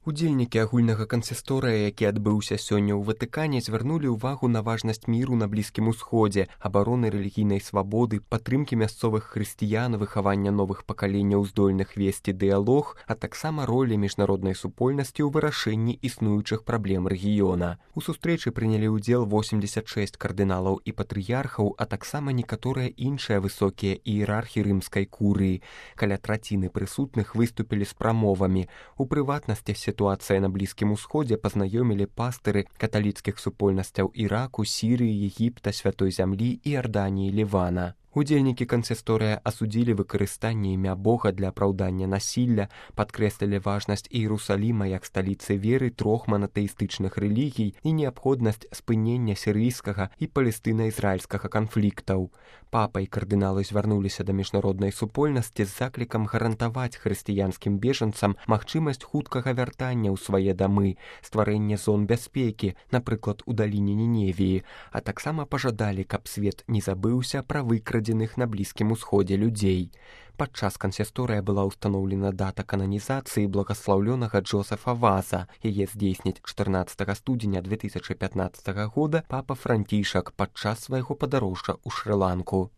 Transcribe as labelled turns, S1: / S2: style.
S1: Удзельнікі агульнага кансісторыя, які адбыўся сёння ў Ватыкане, звярнулі ўвагу на важнасць міру на Блізкім Усходзе, абароны рэлігійнай свабоды, падтрымкі мясцовых хрысціян, выхавання новых пакаленняў здольных весці дыялог, а таксама ролі міжнароднай супольнасці ў вырашэнні існуючых праблем рэгіёна. У сустрэчы прынялі ўдзел 86 кардыналаў і патрыярхаў, а таксама некаторыя іншыя высокія іерархі рымскай курыі. Каля траціны прысутных выступілі з прамовамі. У прыватнасці сітуацыя на Блізкім Усходзе пазнаёмілі пастыры каталіцкіх супольнасцяў Іраку, Сірыі, Егіпта, Святой Зямлі, Іарданіі, Лівана. Удзельнікі кансісторыя асудзілі выкарыстанне імя Бога для апраўдання насілля, падкрэслілі важнасць Іерусаліма як сталіцы веры трох манатэістычных рэлігій і неабходнасць спынення сірыйскага і палестына-ізраільскага канфліктаў. Папа і кардыналы звярнуліся да міжнароднай супольнасці з заклікам гарантаваць хрысціянскім бежанцам магчымасць хуткага вяртання ў свае дамы, стварэнне зон бяспекі, напрыклад, у даліне Ніневіі, а таксама пажадалі, каб свет не забыўся пра выкрадзеных на Блізкім Усходзе людзей. Падчас кансісторыя была ўстаноўлена дата кананізацыі благаслаўлёнага Джозефа Ваза. Яе здзейсніць 14 студзеня 2015 года папа Францішак падчас свайго падарожжа ў Шры-Ланку.